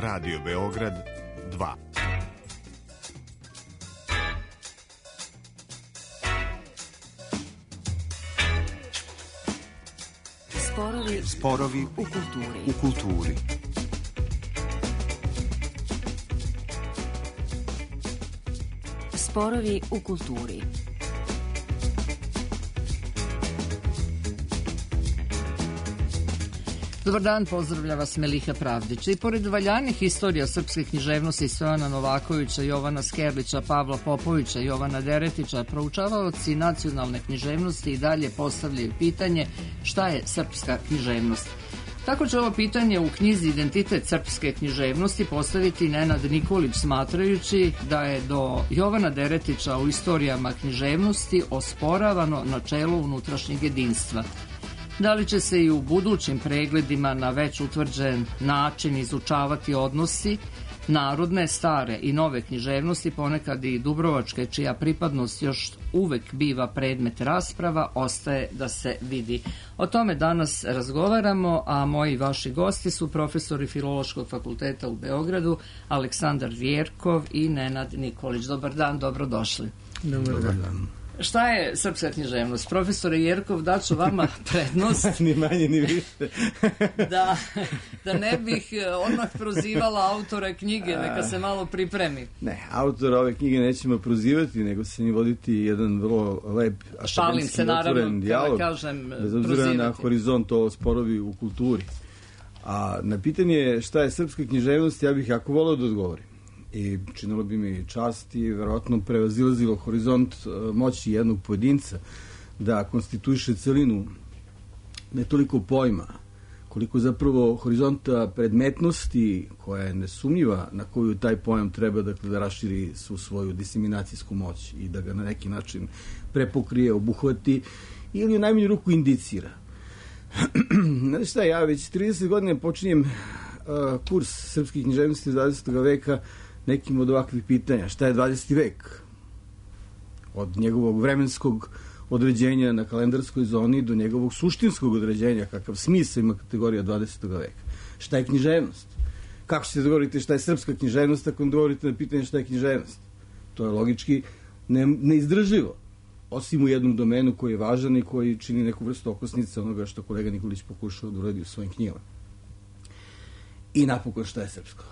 Radio Beograd 2. Sporovi u kulturi. Sporovi u kulturi. Dobar dan, pozdravlja vas Meliha Pravdić. I pored valjanih istorija srpske književnosti Stojana Novakovića, Jovana Skerlića, Pavla Popovića, Jovana Deretića, proučavaoci nacionalne književnosti i dalje postavljaju pitanje šta je srpska književnost. Tako će ovo pitanje u knjizi Identitet srpske književnosti postaviti Nenad Nikolić, smatrajući da je do Jovana Deretića u istorijama književnosti osporavano načelo unutrašnjeg jedinstva. Da li će se i u budućim pregledima na već utvrđen način izučavati odnosi narodne, stare i nove književnosti, ponekad i dubrovačke, čija pripadnost još uvek biva predmet rasprava, ostaje da se vidi. O tome danas razgovaramo, a moji i vaši gosti su profesori Filološkog fakulteta u Beogradu, Aleksandar Vjerkov i Nenad Nikolić. Dobar dan, dobrodošli. Dobar dan. Šta je srpska književnost? Profesore Jerkov, daću vama prednost. Ni manje, ni više. da ne bih odmah prozivala autora knjige, neka se malo pripremi. Ne, autora ove knjige nećemo prozivati, nego se njim voditi jedan vrlo lep akademski otvoren dijalog, bez obzira na horizont ovo sporovi u kulturi. A na pitanje šta je srpska književnost, ja bih jako voleo da odgovorim. I činilo bi mi čast i verovatno prevazilazilo horizont moći jednog pojedinca da konstituiše celinu ne toliko pojma, koliko zapravo horizonta predmetnosti koja je nesumnjiva, na koju taj pojam treba da raširi svu svoju diseminacijsku moć i da ga na neki način prepokrije, obuhvati ili u najmanju ruku indicira. Znate šta, ja već 30 godina počinjem kurs srpskih književnosti 20. veka nekim od ovakvih pitanja. Šta je 20. vek? Od njegovog vremenskog određenja na kalendarskoj zoni do njegovog suštinskog određenja, kakav smisao ima kategorija 20. veka. Šta je književnost? Kako ćete da govorite šta je srpska književnost ako govorite na pitanje šta je književnost? To je logički neizdrživo. Osim u jednom domenu koji je važan i koji čini neku vrstu okosnice onoga što kolega Nikolić pokušao da uradi u svojim knjigama. I napokon šta je srpsko?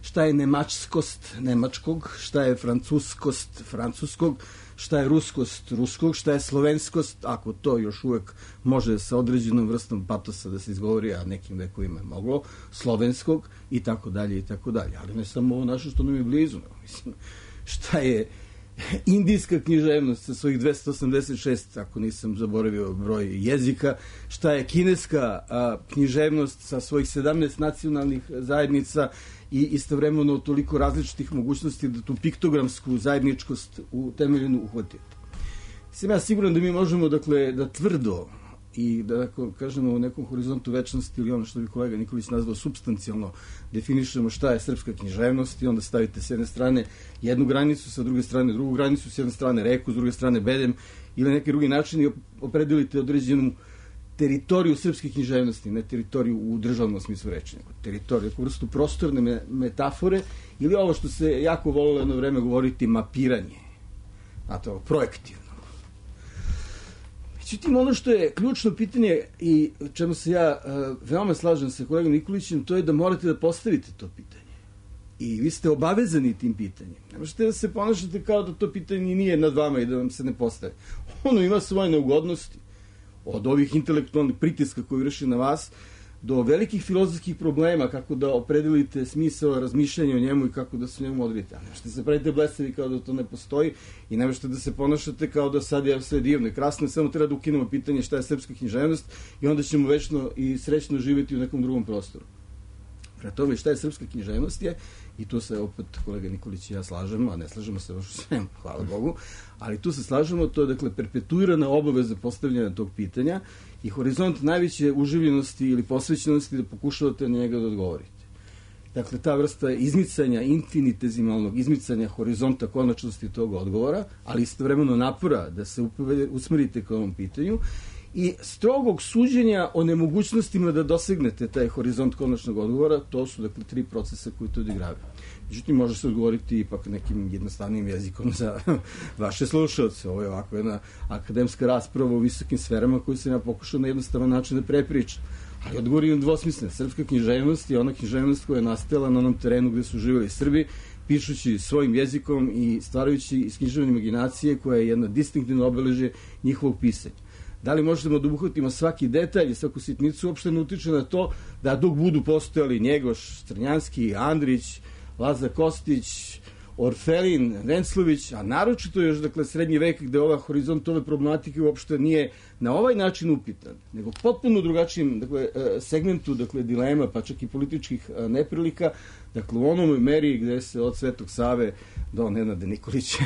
Šta je nemačkost nemačkog, šta je francuskost francuskog, šta je ruskost ruskog, šta je slovenskost, ako to još uvek može sa određenom vrstom patosa da se izgovori, a nekim vekovima je moglo, slovenskog i tako dalje i tako dalje. Ali ne samo ovo naše što nam je blizu. Mislim, šta je indijska književnost sa svojih 286, ako nisam zaboravio broj jezika, šta je kineska književnost sa svojih 17 nacionalnih zajednica i istovremeno toliko različitih mogućnosti da tu piktogramsku zajedničkost u temeljenu uhvatite. Sam ja siguran da mi možemo, dakle, da tvrdo i da, kažemo, u nekom horizontu večnosti ili ono što bi kolega Nikolić nazvao supstancijalno definišemo šta je srpska književnost i onda stavite s jedne strane jednu granicu, sa druge strane drugu granicu, s jedne strane reku, s druge strane bedem ili neki drugi način i opredelite određenu teritoriju srpske književnosti, ne teritoriju u državnom smislu reči, nego teritoriju, neku vrstu prostorne metafore ili ovo što se jako volilo jedno vreme govoriti mapiranje, a to projektivno. Međutim, ono što je ključno pitanje i čemu se ja veoma slažem sa kolegom Nikolićem, to je da morate da postavite to pitanje. I vi ste obavezani tim pitanjem. Ne možete da se ponašate kao da to pitanje nije nad vama i da vam se ne postavi. Ono ima svoje neugodnosti. Od ovih intelektualnih pritiska koji vrši na vas, do velikih filozofskih problema, kako da opredelite smisao razmišljanja o njemu i kako da se o njemu odredite. Ne možete se pravite blesavi kao da to ne postoji i ne možete da se ponašate kao da sad je sve divno i krasno, samo treba da ukinemo pitanje šta je srpska književnost i onda ćemo večno i srećno živjeti u nekom drugom prostoru. Prema tome, šta je srpska književnost je, i tu se opet kolega Nikolić i ja slažemo, a ne slažemo se baš u svemu, hvala Bogu, ali tu se slažemo, to je dakle perpetuirana obaveza postavljanja tog pitanja i horizont najveće uživljenosti ili posvećenosti da pokušavate na njega da odgovorite. Dakle, ta vrsta izmicanja, infinitezimalnog izmicanja horizonta konačnosti tog odgovora, ali istovremeno napora da se usmerite ka ovom pitanju i strogog suđenja o nemogućnostima da dosegnete taj horizont konačnog odgovora. To su, dakle, 3 procesa koji to odigravaju. Međutim, može se odgovoriti ipak nekim jednostavnim jezikom za vaše slušalce. Ovo je ovako jedna akademska rasprava u visokim sferama koju sam ja pokušao na jednostavan način da prepričam. Ali odgovor je dvosmislen. Srpska književnost je ona književnost koja je nastajala na onom terenu gde su živjeli Srbi, pišući svojim jezikom i stvarajući iz književne imaginacije koja je jedna distinktivna obeležje njihovog pisanja. Da li možemo da obuhvatimo svaki detalj i svaku sitnicu, uopšte ne utiče na to da dok budu postojali Njegoš, Strnjanski, Andrić, Lazar Kostić, Orfelin, Venclović, a naročito još, dakle, srednji vek gde ova horizont ove problematike uopšte nije na ovaj način upitan, nego potpuno drugačijim, dakle, segmentu, dakle, dilema, pa čak i političkih neprilika, dakle, u onoj meri gde se od Svetog Save do Nenada Nikolića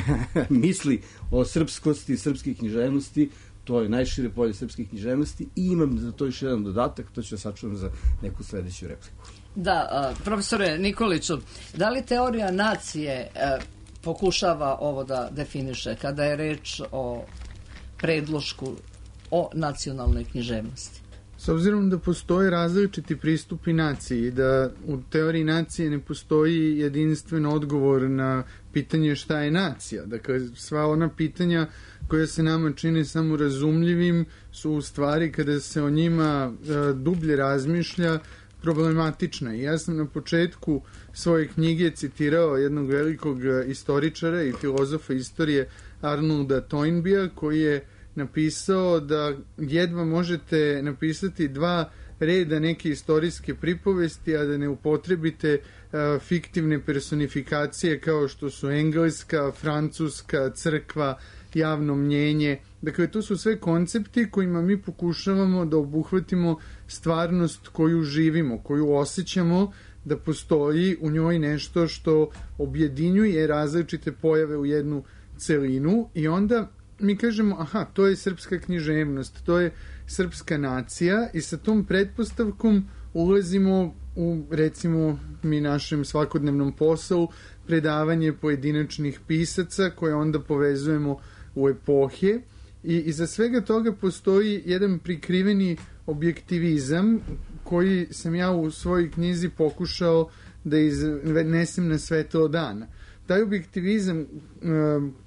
misli o srpskosti, srpske književnosti. To je najšire polje srpske književnosti i imam za to još jedan dodatak, to ću da sačuvam za neku sledeću repliku. Da, profesore Nikoliću, da li teorija nacije pokušava ovo da definiše kada je reč o predlošku o nacionalnoj književnosti? S obzirom da postoje različiti pristupi naciji, da u teoriji nacije ne postoji jedinstven odgovor na pitanje šta je nacija. Dakle, sva ona pitanja koja se nama čine samo razumljivim su u stvari, kada se o njima dublje razmišlja, problematična. I ja sam na početku svoje knjige citirao jednog velikog istoričara i filozofa istorije Arnolda Toynbea, koji je napisao da jedva možete napisati 2 reda neke istorijske pripovesti, a da ne upotrebite fiktivne personifikacije kao što su engleska, francuska, crkva, javno mnjenje. Dakle, to su sve koncepti kojima mi pokušavamo da obuhvatimo stvarnost koju živimo, koju osjećamo da postoji u njoj nešto što objedinjuje različite pojave u jednu celinu i onda mi kažemo, aha, to je srpska književnost, to je srpska nacija i sa tom pretpostavkom ulazimo u, recimo, mi našem svakodnevnom poslu predavanje pojedinačnih pisaca koje onda povezujemo u epohe i iza svega toga postoji jedan prikriveni objektivizam koji sam ja u svojoj knjizi pokušao da iznesem na svetlo dana. Taj objektivizam,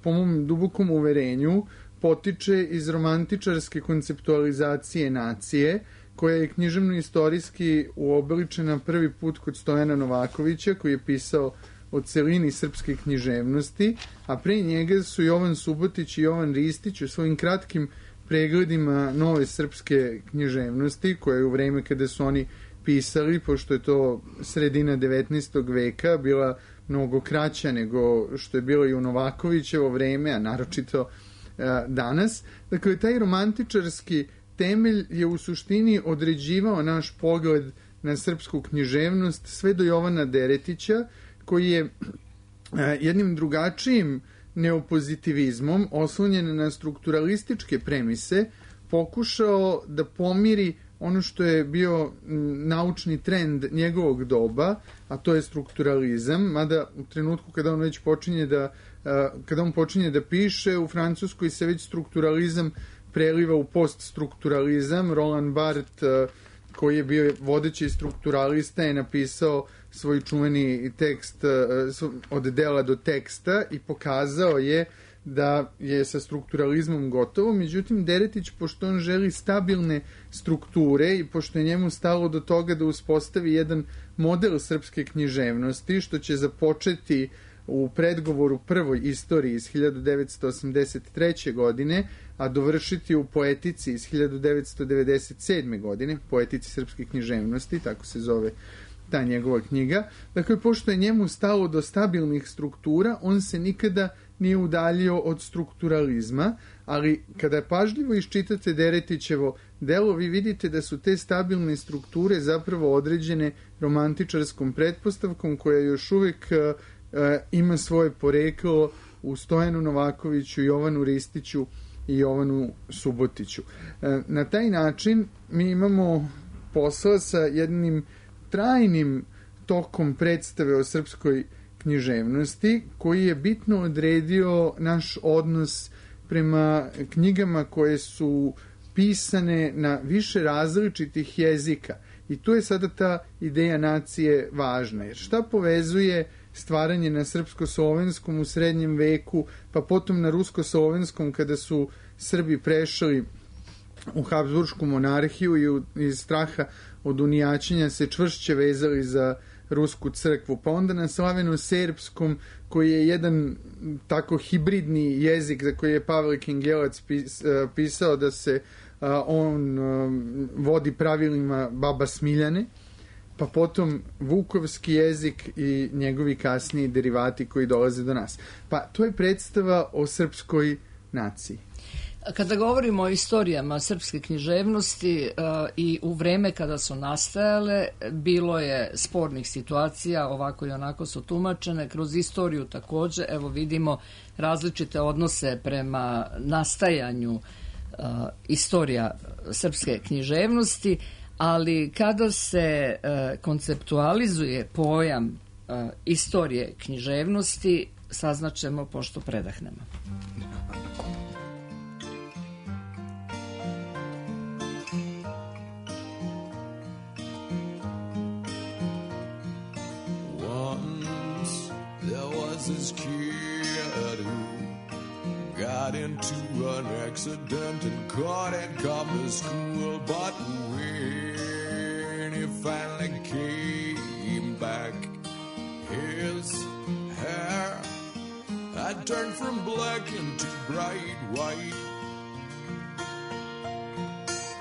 po mom dubokom uverenju, potiče iz romantičarske konceptualizacije nacije, koja je književno-istorijski uobličena prvi put kod Stojana Novakovića, koji je pisao o celini srpske književnosti, a pre njega su Jovan Subotić i Jovan Ristić u svojim kratkim pregledima nove srpske književnosti, koja je u vreme kada su oni pisali, pošto je to sredina 19. veka, bila mnogo kraća nego što je bilo i u Novakovićevo vreme, a naročito danas. Dakle, taj romantičarski temelj je u suštini određivao naš pogled na srpsku književnost sve do Jovana Deretića, koji je jednim drugačijim neopozitivizmom, oslonjen na strukturalističke premise, pokušao da pomiri ono što je bio naučni trend njegovog doba, a to je strukturalizam, mada u trenutku kada on već počinje da piše, u Francuskoj se već strukturalizam preliva u poststrukturalizam. Roland Barthes, koji je bio vodeći strukturalista, je napisao svoj čuveni tekst od dela do teksta i pokazao je da je sa strukturalizmom gotovo. Međutim, Deretić, pošto on želi stabilne strukture i pošto je njemu stalo do toga da uspostavi jedan model srpske književnosti, što će započeti u predgovoru prvoj istoriji iz 1983. godine, a dovršiti u poetici iz 1997. godine, poetici srpske književnosti, tako se zove ta njegova knjiga. Dakle, pošto je njemu stalo do stabilnih struktura, on se nikada nije udaljio od strukturalizma, ali kada pažljivo iščitate Deretićevo delo, vi vidite da su te stabilne strukture zapravo određene romantičarskom pretpostavkom koja još uvek ima svoje poreklo u Stojanu Novakoviću, Jovanu Ristiću i Jovanu Subotiću. Na taj način mi imamo posla sa jednim trajnim tokom predstave o srpskoj književnosti, koji je bitno odredio naš odnos prema knjigama koje su pisane na više različitih jezika. I tu je sada ta ideja nacije važna. Jer šta povezuje stvaranje na srpsko-slovenskom u srednjem veku, pa potom na rusko-slovenskom kada su Srbi prešli u Habsburšku monarhiju i iz straha od unijačenja se čvršće vezali za rusku crkvu, pa onda na slaveno-serbskom koji je jedan tako hibridni jezik za koji je Pavle Kengelac pisao da se on vodi pravilima baba Smiljane, pa potom vukovski jezik i njegovi kasniji derivati koji dolaze do nas. Pa to je predstava o srpskoj naciji. Kada govorimo o istorijama srpske književnosti i u vreme kada su nastajale, bilo je spornih situacija, ovako i onako su tumačene, kroz istoriju također, evo vidimo različite odnose prema nastajanju istorija srpske književnosti, ali kada se konceptualizuje pojam istorije književnosti, saznaćemo pošto predahnemo. This kid who got into an accident and couldn't come to school, but when he finally came back, his hair had turned from black into bright white.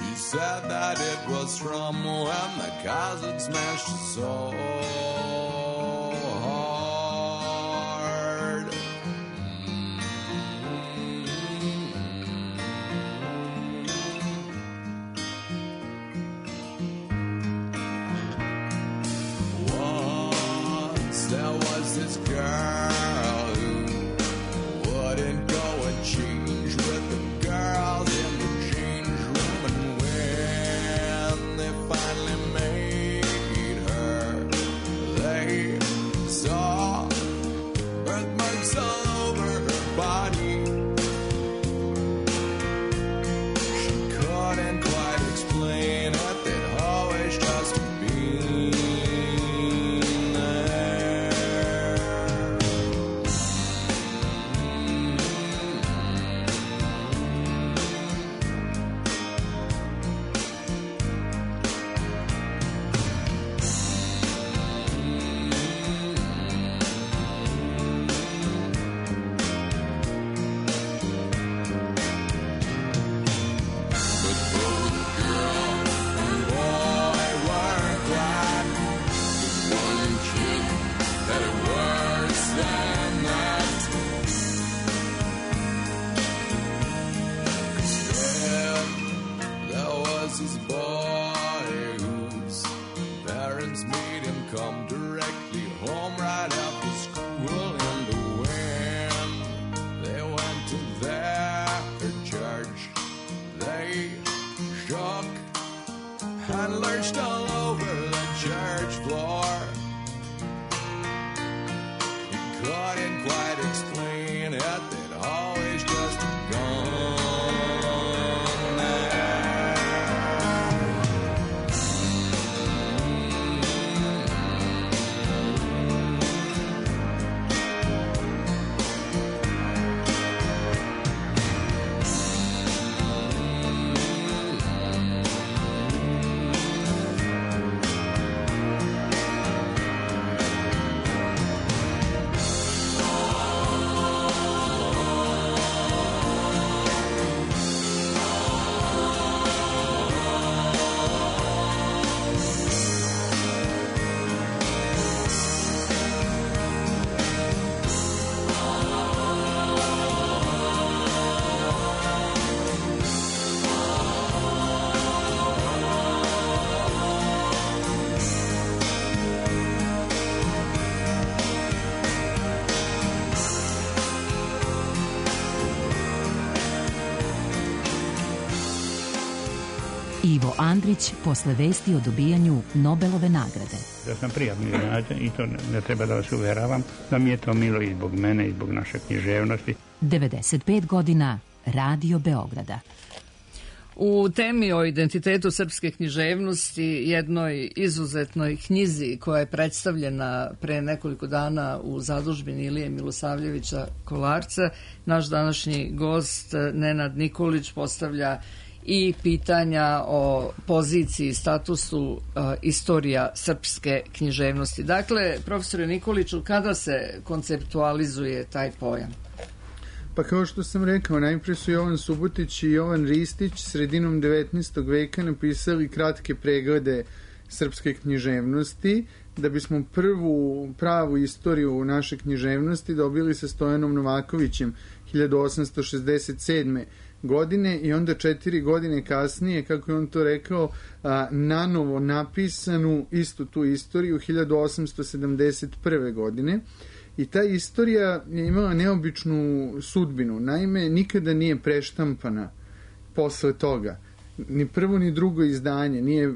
He said that it was from when the cousin smashed his soul. This girl who wouldn't go and change with the girls in the change room, and when they finally made her, they saw birthmarks all over her body. She couldn't quite explain it, they'd always just been. Ivo Andrić posle vesti o dobijanju Nobelove nagrade. Da sam prijatno iznenađen i to ne treba da vas uveravam, da mi je to milo i zbog mene i zbog naše književnosti. 95 godina Radio Beograda. U temi o identitetu srpske književnosti, jednoj izuzetnoj knjizi koja je predstavljena pre nekoliko dana u zadužbini Ilije Milosavljevića Kolarca, naš današnji gost Nenad Nikolić postavlja i pitanja o poziciji i statusu istorija srpske književnosti. Dakle, profesore Nikoliću, kada se konceptualizuje taj pojam? Pa kao što sam rekao, najprije su Jovan Subotić i Jovan Ristić sredinom 19. veka napisali kratke preglede srpske književnosti, da bismo prvu pravu istoriju naše književnosti dobili sa Stojanom Novakovićem 1867. godine i onda 4 godine kasnije, kako je on to rekao, nanovo napisanu istu tu istoriju 1871. godine. I ta istorija je imala neobičnu sudbinu. Naime, nikada nije preštampana posle toga. Ni prvo ni drugo izdanje nije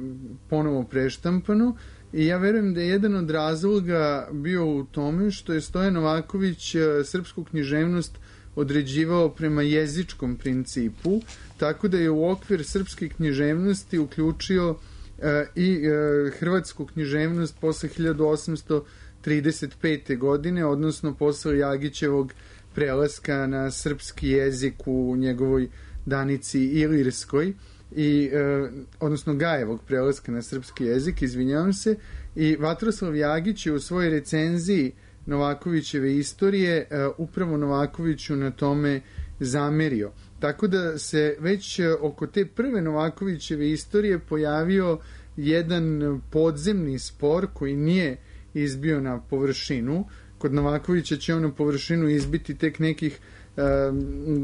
ponovo preštampano i ja verujem da je jedan od razloga bio u tome što je Stojan Novaković srpsku književnost određivao prema jezičkom principu, tako da je u okvir srpske književnosti uključio i hrvatsku književnost posle 1835. godine, odnosno posle Jagićevog prelaska na srpski jezik u njegovoj Danici Ilirskoj, odnosno Gajevog prelaska na srpski jezik, izvinjavam se, i Vatroslav Jagić je u svojoj recenziji Novakovićeve istorije upravo Novakoviću na tome zamerio. Tako da se već oko te prve Novakovićeve istorije pojavio jedan podzemni spor koji nije izbio na površinu. Kod Novakovića će on na površinu izbiti tek nekih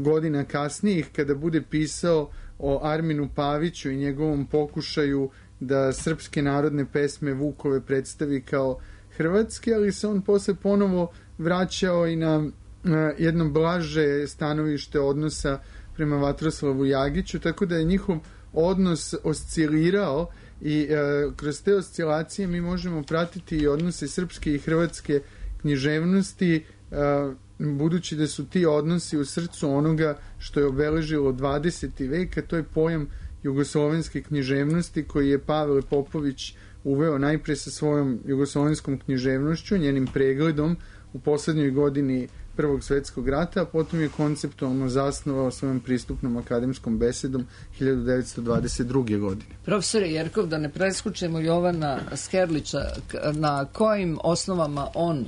godina kasnijih, kada bude pisao o Arminu Paviću i njegovom pokušaju da srpske narodne pesme Vukove predstavi kao hrvatske, ali se on posle ponovo vraćao i na jedno blaže stanovište odnosa prema Vatroslavu Jagiću, tako da je njihov odnos oscilirao i kroz te oscilacije mi možemo pratiti i odnose srpske i hrvatske književnosti, budući da su ti odnosi u srcu onoga što je obeležilo 20. vek, a to je pojam jugoslovenske književnosti koji je Pavle Popović uveo najpre sa svojom jugoslovenskom književnošću, njenim pregledom u poslednjoj godini Prvog svetskog rata, a potom je konceptualno zasnovao svojom pristupnom akademskom besedom 1922. godine. Profesore Jerkov, da ne preskučemo Jovana Skerlića, na kojim osnovama on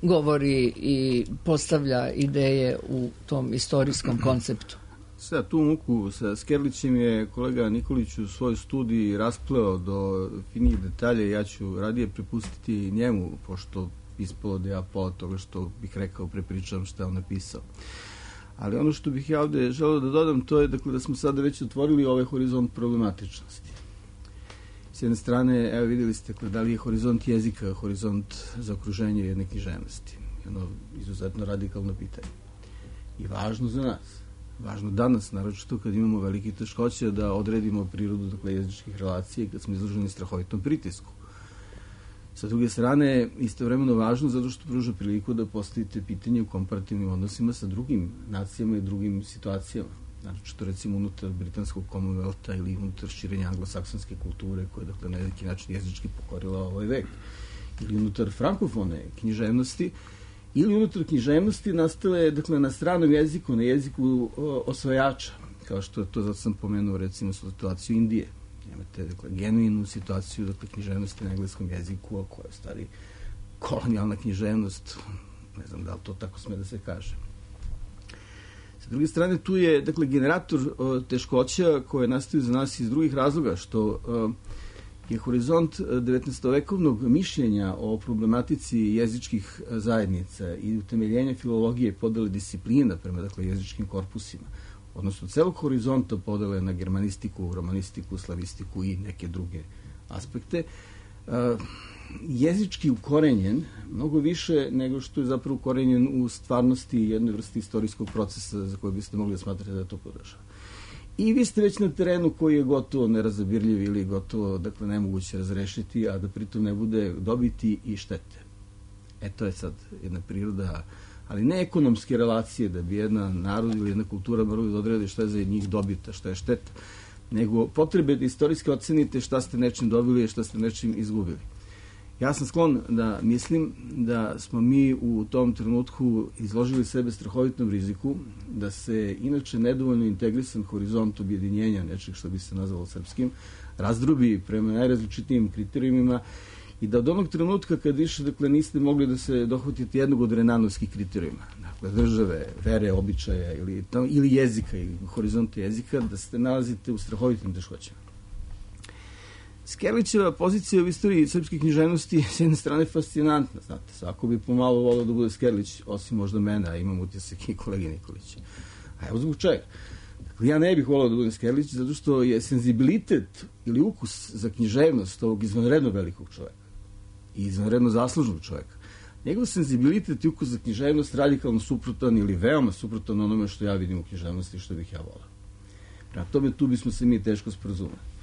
govori i postavlja ideje u tom istorijskom konceptu? Sada tu muku sa Skerlićem je kolega Nikolić u svojoj studiji raspleo do finijih detalja. Ja ću radije prepustiti njemu, pošto ispalo da ja pola toga što bih rekao prepričavam što je on napisao. Ali ono što bih ja ovde želeo da dodam, to je dakle, da smo sada već otvorili ovaj horizont problematičnosti. S jedne strane, evo vidjeli ste da li je horizont jezika, horizont za okruženje jedne književnosti. Jedno izuzetno radikalno pitanje. I važno za nas. Važno danas, naročito kad imamo velike teškoće da odredimo prirodu jezičkih relacija i kad smo izloženi strahovitom pritisku. Sa druge strane, istovremeno važno zato što pruža priliku da postavite pitanje u komparativnim odnosima sa drugim nacijama i drugim situacijama. Naročito recimo unutar britanskog Commonwealtha ili unutar širenja anglosaksonske kulture koja je na neki način jezički pokorila ovaj vek. Ili unutar frankofone književnosti ili unutar književnosti nastale na stranom jeziku, na jeziku osvajača, kao što je to, zato sam pomenuo recimo situaciju Indije. Imate genuinu situaciju književnosti na engleskom jeziku, a koja je stari kolonijalna književnost, ne znam da li to tako sme da se kaže. Sa druge strane, tu je generator teškoća koje nastaju za nas iz drugih razloga, što je horizont 19-vekovnog mišljenja o problematici jezičkih zajednica i utemeljenja filologije podele disciplina prema jezičkim korpusima, odnosno celog horizonta podele na germanistiku, romanistiku, slavistiku i neke druge aspekte, jezički ukorenjen mnogo više nego što je zapravo ukorenjen u stvarnosti jednoj vrsti istorijskog procesa za koje biste mogli da smatrate da to podržava. I vi ste već na terenu koji je gotovo nerazabirljiv ili gotovo, nemoguće razrešiti, a da pritom ne bude dobiti i štete. To je sad jedna priroda ali ne ekonomske relacije, da bi jedna narod ili jedna kultura morali da odredi šta je za njih dobita, šta je šteta, nego potrebe da istorijski ocenite šta ste nečim dobili i šta ste nečim izgubili. Ja sam sklon da mislim da smo mi u tom trenutku izložili sebe strahovitom riziku, da se inače nedovoljno integrisan horizont objedinjenja nečeg što bi se nazvalo srpskim, razdrobi prema najrazličitijim kriterijumima i da od onog trenutka kad više, dakle, niste mogli da se dohvatite jednog od renanovskih kriterijuma, dakle, države, vere, običaja ili jezika, ili horizonta jezika, da se nalazite u strahovitim teškoćama. Skerlićeva pozicija u istoriji srpske književnosti s jedne strane fascinantna, znate, svako bi pomalo volao da bude Skerlić, osim možda mene, a imam utisak i kolege Nikolića. A evo zbog čega. Dakle, ja ne bih volao da budem Skerlić, zato što je senzibilitet ili ukus za književnost ovog izvanredno velikog čoveka i izvanredno zaslužnog čoveka. Njegov senzibilitet i ukus za književnost radikalno suprotan ili veoma suprotan onome što ja vidim u književnosti i što bih ja volao. Prema tome, tu bismo se mi teško sporazumeli.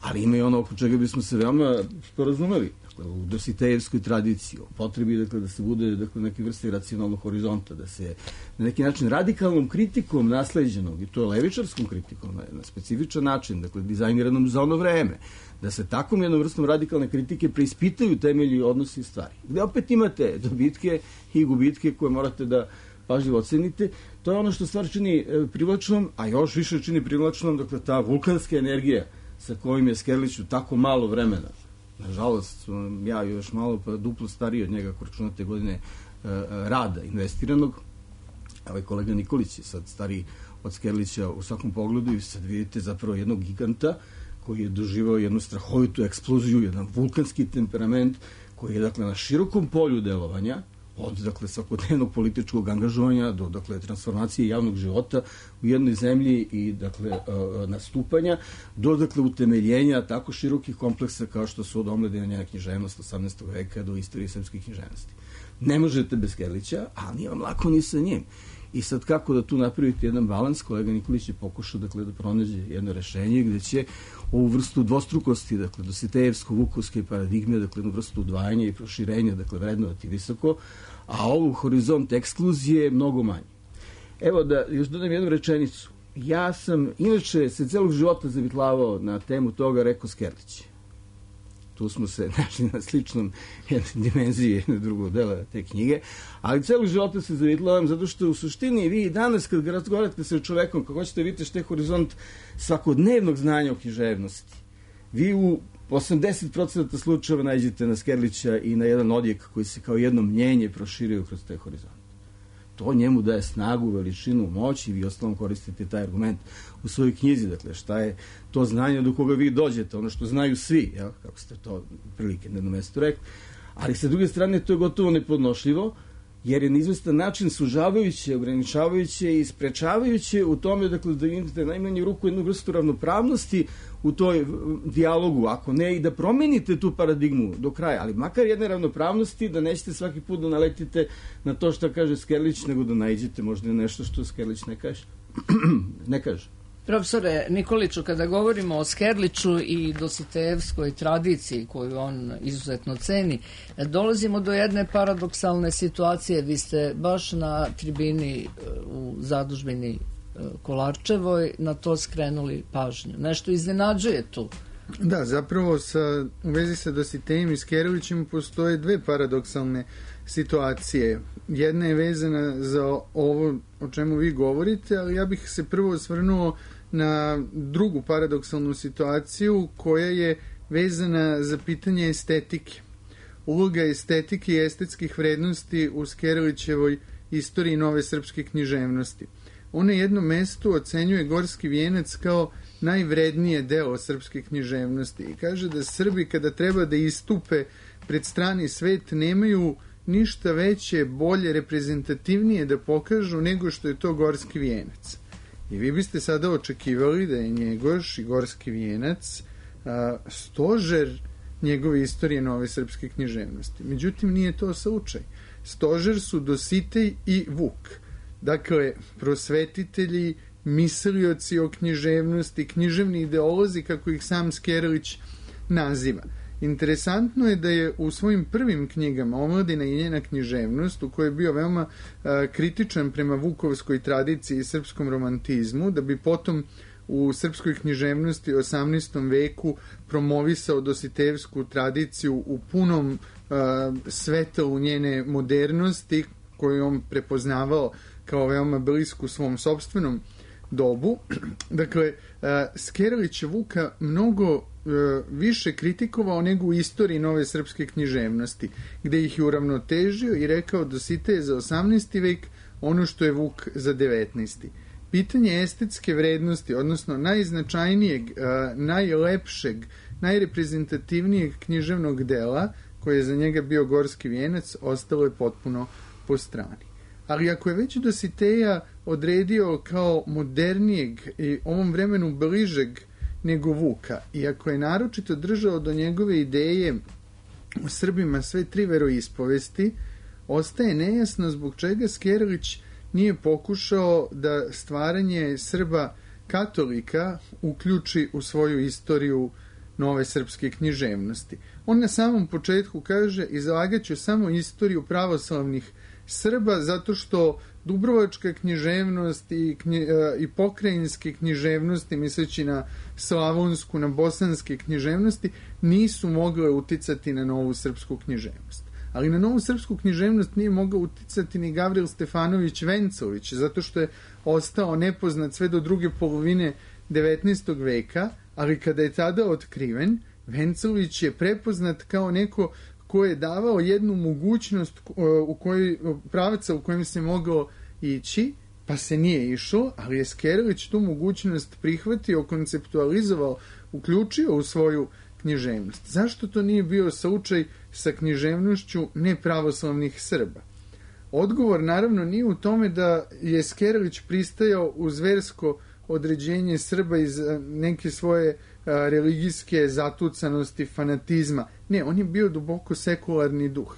Ali ima i ono oko čega bismo se veoma sporazumeli, dakle, u Dositejevskoj tradiciji, o potrebi, dakle, da se bude, dakle, neke vrste racionalnog horizonta, da se na neki način radikalnom kritikom nasleđenog, i to je levičarskom kritikom na specifičan način, dakle, dizajniranom za ono vreme, da se takvom jednom vrstom radikalne kritike preispitaju temelji, odnosi i stvari. Gde opet imate dobitke i gubitke koje morate da pažljivo ocenite. To je ono što stvar čini privlačnom, a još više čini privlačnom, dakle, ta vulkanska energija sa kojim je Skerliću tako malo vremena. Nažalost, ja još malo pa duplo stariji od njega, ako računate godine rada investiranog. Ovaj kolega Nikolić je sad stariji od Skerlića u svakom pogledu i sad vidite zapravo jednog giganta koji je doživao jednu strahovitu eksploziju, jedan vulkanski temperament koji je, dakle, na širokom polju delovanja, od, dakle, svakodnevnog političkog angažovanja do, dakle, transformacije javnog života u jednoj zemlji i, dakle, nastupanja do, dakle, utemeljenja tako širokih kompleksa kao što su od omladine njena književnost 18. veka do istorije srpske književnosti. Ne možete bez Skerlića, a nije vam lako ni sa njim. I sad kako da tu napravite jedan balans, kolega Nikolić je pokušao, dakle, da pronađe jedno rešenje gde će ovu vrstu dvostrukosti, dakle, dositejevsko-vukovske paradigme, dakle, jednu vrstu udvajanja i proširenja, dakle, vrednovati visoko, a ovu horizont ekskluzije je mnogo manji. Evo da još dodam jednu rečenicu. Ja sam, inače, se celog života zavitlavao na temu toga, rekao Skerlić. Tu smo se našli na sličnom dimenziji jednog drugog dela te knjige, ali celog života se zavitlavam zato što u suštini vi danas kad razgovarate sa čovekom, kako hoćete vidite što je horizont svakodnevnog znanja o književnosti, vi u 80% slučajeva nađete na Skerlića i na jedan odjek koji se kao jedno mnjenje proširio kroz taj horizont. To njemu daje snagu, veličinu, moć i vi ostalom koristite taj argument u svojoj knjizi. Dakle, šta je to znanje do koga vi dođete, ono što znaju svi, jel? Kako ste to prilike na jednom mestu rekli. Ali sa druge strane to je gotovo nepodnošljivo, jer je na izvestan način sužavajuće, ograničavajuće i sprečavajuće u tome, dakle, da imate najmanju ruku jednu vrstu ravnopravnosti u toj dijalogu, ako ne i da promenite tu paradigmu do kraja, ali makar jedne ravnopravnosti, da nećete svaki put da naletite na to što kaže Skerlić, nego da naiđete možda nešto što Skerlić ne kaže. Ne kaže. Profesore Nikoliću, kada govorimo o Skerliću i dositejevskoj tradiciji koju on izuzetno ceni, dolazimo do jedne paradoksalne situacije. Vi ste baš na tribini u zadužbini Kolarčevoj na to skrenuli pažnju. Nešto iznenađuje tu. Da, zapravo u vezi sa Dositejim i Skerlićem postoje dve paradoksalne situacije. Jedna je vezana za ovo o čemu vi govorite, ali ja bih se prvo osvrnuo na drugu paradoksalnu situaciju koja je vezana za pitanje estetike. Uloga estetike i estetskih vrednosti u Skerlićevoj istoriji nove srpske književnosti. On na jednom mestu ocenjuje Gorski vijenac kao najvrednije delo srpske književnosti i kaže da Srbi kada treba da istupe pred strani svet nemaju ništa veće, bolje, reprezentativnije da pokažu nego što je to Gorski vijenac. I vi biste sada očekivali da je Njegoš i Gorski vijenac stožer njegove istorije nove srpske književnosti. Međutim, nije to slučaj. Stožer su Dositej i Vuk. Dakle, prosvetitelji, mislioci o književnosti, književni ideolozi, kako ih sam Skerlić naziva. Interesantno je da je u svojim prvim knjigama Omladina i njena književnost, u kojoj je bio veoma kritičan prema vukovskoj tradiciji i srpskom romantizmu, da bi potom u srpskoj književnosti u 18. veku promovisao dositejevsku tradiciju u punom svetlu njene modernosti, koju on prepoznavao kao veoma blisku svom sopstvenom dobu. Dakle, Skerlić je Vuka mnogo više kritikovao nego u istoriji nove srpske književnosti, gde ih je uravnotežio i rekao Dositej je za 18. vek ono što je Vuk za 19. Pitanje estetske vrednosti, odnosno najznačajnijeg, najlepšeg, najreprezentativnijeg književnog dela, koje je za njega bio Gorski vijenac, ostalo je potpuno po strani. Ali ako je već Dositeja odredio kao modernijeg i ovom vremenu bližeg nego Vuka, i ako je naročito držao do njegove ideje o Srbima sve tri veroispovesti, ostaje nejasno zbog čega Skerlić nije pokušao da stvaranje Srba katolika uključi u svoju istoriju nove srpske književnosti. On na samom početku kaže: izlagaću samo istoriju pravoslavnih Srba, zato što dubrovačka književnost i pokrajinske književnosti, misleći na slavonsku, na bosanske književnosti, nisu mogle uticati na novu srpsku književnost. Ali na novu srpsku književnost nije mogao uticati ni Gavril Stefanović Vencović, zato što je ostao nepoznat sve do druge polovine 19. veka, ali kada je tada otkriven, Vencović je prepoznat kao neko ko je davao jednu mogućnost pravaca u kojem se mogao ići, pa se nije išlo, ali je Skerlić tu mogućnost prihvatio, konceptualizovao, uključio u svoju književnost. Zašto to nije bio slučaj sa književnošću nepravoslavnih Srba? Odgovor naravno nije u tome da je Skerlić pristajao u zversko određenje Srba iz neke svoje religijske zatucanosti, fanatizma. Ne, on je bio duboko sekularni duh.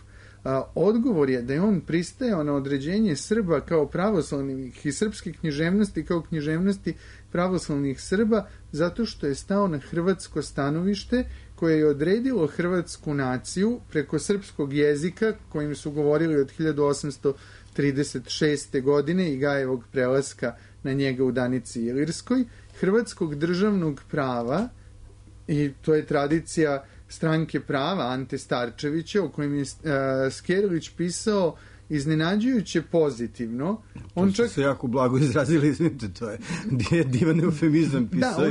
Odgovor je da je on pristajao na određenje Srba kao pravoslavnih i srpske književnosti kao književnosti pravoslavnih Srba zato što je stao na hrvatsko stanovište koje je odredilo hrvatsku naciju preko srpskog jezika kojim su govorili od 1836. godine i Gajevog prelaska na njega u Danici Ilirskoj, hrvatskog državnog prava, i to je tradicija Stranke prava Ante Starčevića, o kojem je Skerlić pisao iznenađujuće pozitivno. On čak se jako blago izrazili, izvinite, to je divan eufemizam, pisao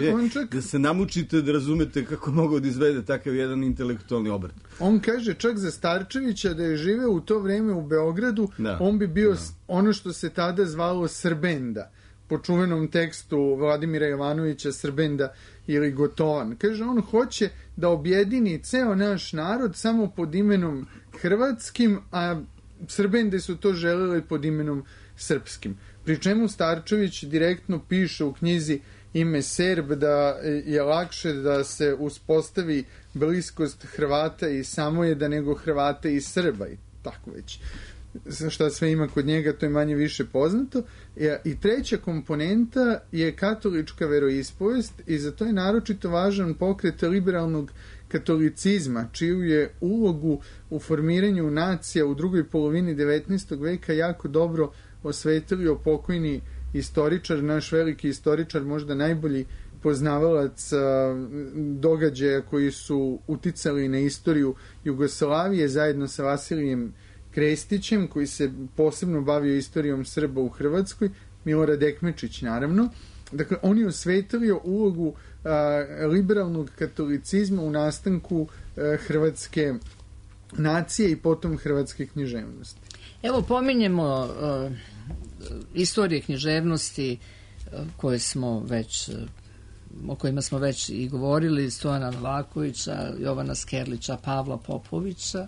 da se namučite da razumete kako mogu da izvede takav jedan intelektualni obrt. On kaže čak za Starčevića da je živeo u to vreme u Beogradu, on bi bio ono što se tada zvalo Srbenda, po čuvenom tekstu Vladimira Jovanovića Srbenda ili Gotovan. Kaže, on hoće da objedini ceo naš narod samo pod imenom hrvatskim, a Srbende su to želeli pod imenom srpskim. Pri čemu Starčević direktno piše u knjizi Ime Serb da je lakše da se uspostavi bliskost Hrvata i Samojeda nego Hrvata i Srba i tako već. Šta sve ima kod njega, to je manje više poznato. I treća komponenta je katolička veroispovest i za to je naročito važan pokret liberalnog katolicizma, čiju je ulogu u formiranju nacija u drugoj polovini 19. veka jako dobro osvetlio pokojni istoričar, naš veliki istoričar, možda najbolji poznavalac događaja koji su uticali na istoriju Jugoslavije zajedno sa Vasilijem Krestićem, koji se posebno bavio istorijom Srba u Hrvatskoj, Milorad Ekmečić naravno. Dakle, on je osvetlio ulogu liberalnog katolicizma u nastanku hrvatske nacije i potom hrvatske književnosti. Evo, pominjemo istorije književnosti koje smo već, o kojima smo već i govorili, Stojana Novakovića, Jovana Skerlića, Pavla Popovića,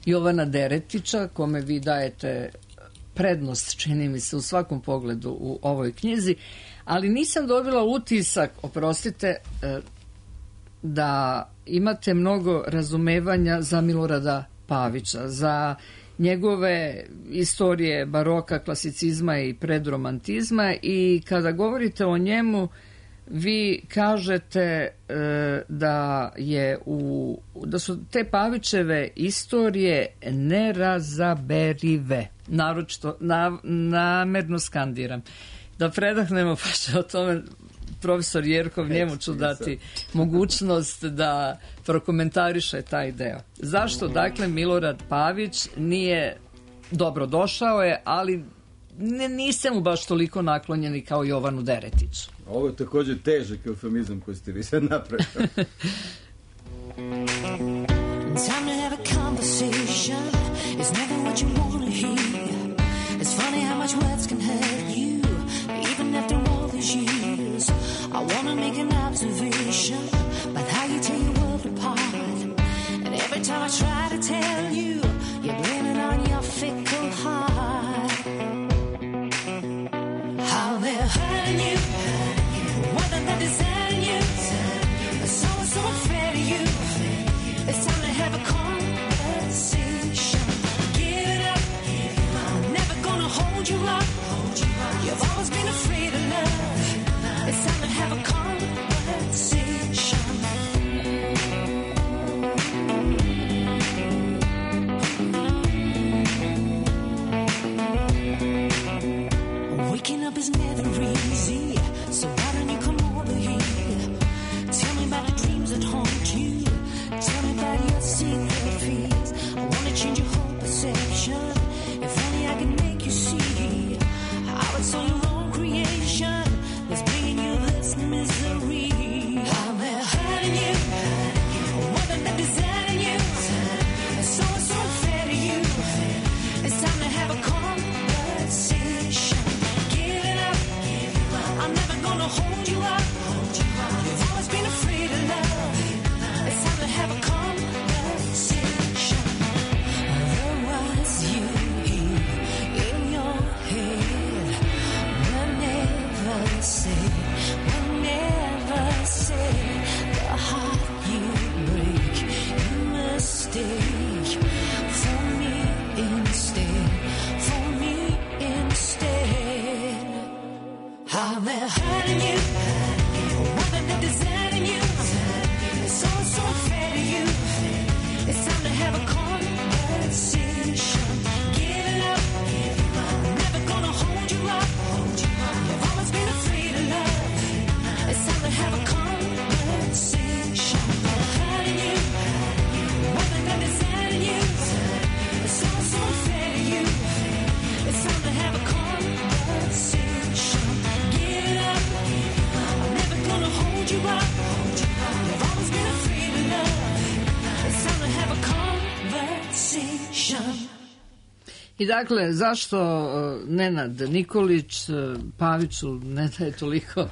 Jovana Deretića, kome vi dajete prednost, čini mi se, u svakom pogledu u ovoj knjizi, ali nisam dobila utisak, oprostite, da imate mnogo razumevanja za Milorada Pavića, za njegove istorije baroka, klasicizma i predromantizma, i kada govorite o njemu, vi kažete da su te Pavićeve istorije nerazaberive. Naročito, namerno skandiram. Da predahnemo, pa će o tome profesor Jerkov, njemu ću dati mogućnost da prokomentariše taj deo. Zašto, dakle, Milorad Pavić nije dobro došao je, ali nisam mu baš toliko naklonjeni kao Jovanu Deretiću. Ovo je također težak eufemizam koji ste vi sad napravili. Time to have a conversation. It's never what you want to hear. It's funny how much words can hurt you, even after all these years. I want to make an observation about how you tear your world apart. And every time I try to tell you, you're blaming on your fickle heart. How they're hurting you, more than they're deserting you. So unfair to you. It's time to have a conversation. Give it up. I'm never gonna hold you up. You've always been afraid of love. It's time to have a conversation. Waking up is never easy, so why don't you come over here? Tell me about the dreams that haunt you. Tell me about your secret fears. I want to change your whole perception. If only I can make you see how it's all your own creation that's bringing you this misery. How they're hurting you, more than they're deserting you. It's so unfair to you. It's time to have a conversation. Give it up. I'm never gonna hold you up. You've always been afraid of love. It's time to have a conversation. Otherwise you hear in your head. We'll never say the heart you break. You mistake for me instead. How they're hurting you, more than they're deserting you. It's so unfair to you. It's time to have a conversation. Give it up. I'm never gonna hold you up. You've always been afraid of love. It's time to have a conversation. They're hurting you, more than they're deserting you. It's so unfair to you. It's time to have a conversation. Give it up. I'm never gonna hold you up. You've always been afraid of love. It's time to have a conversation. I dakle, zašto Nenad Nikolić Paviću ne daje toliko?